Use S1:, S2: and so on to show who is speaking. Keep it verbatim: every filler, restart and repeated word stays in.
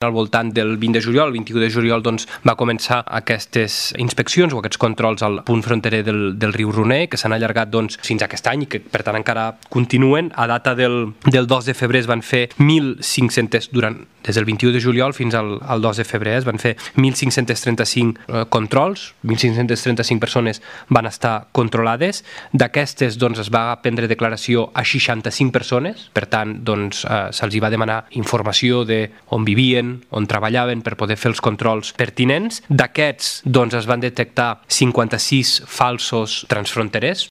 S1: Al voltant del vint de juliol, el vint-i-u de juliol, doncs, va començar aquestes inspeccions o aquests controls al punt fronterer del, del riu Roner, que s'han allargat doncs, fins a aquest any i que, per tant, encara continuen. A data del, del dos de febrer es van fer mil cinc-cents, durant, des del vint-i-u de juliol fins al, al dos de febrer, es van fer mil cinc-cents trenta-cinc eh, controls, mil cinc-cents trenta-cinc persones van estar controlades. D'aquestes, doncs, es va prendre declaració a seixanta-cinc persones, per tant, doncs, eh, se'ls hi va demanar informació de on vivien, on treballaven per poder fer els controls pertinents. D'aquests, doncs, es van detectar cinquanta-sis falsos transfronterers,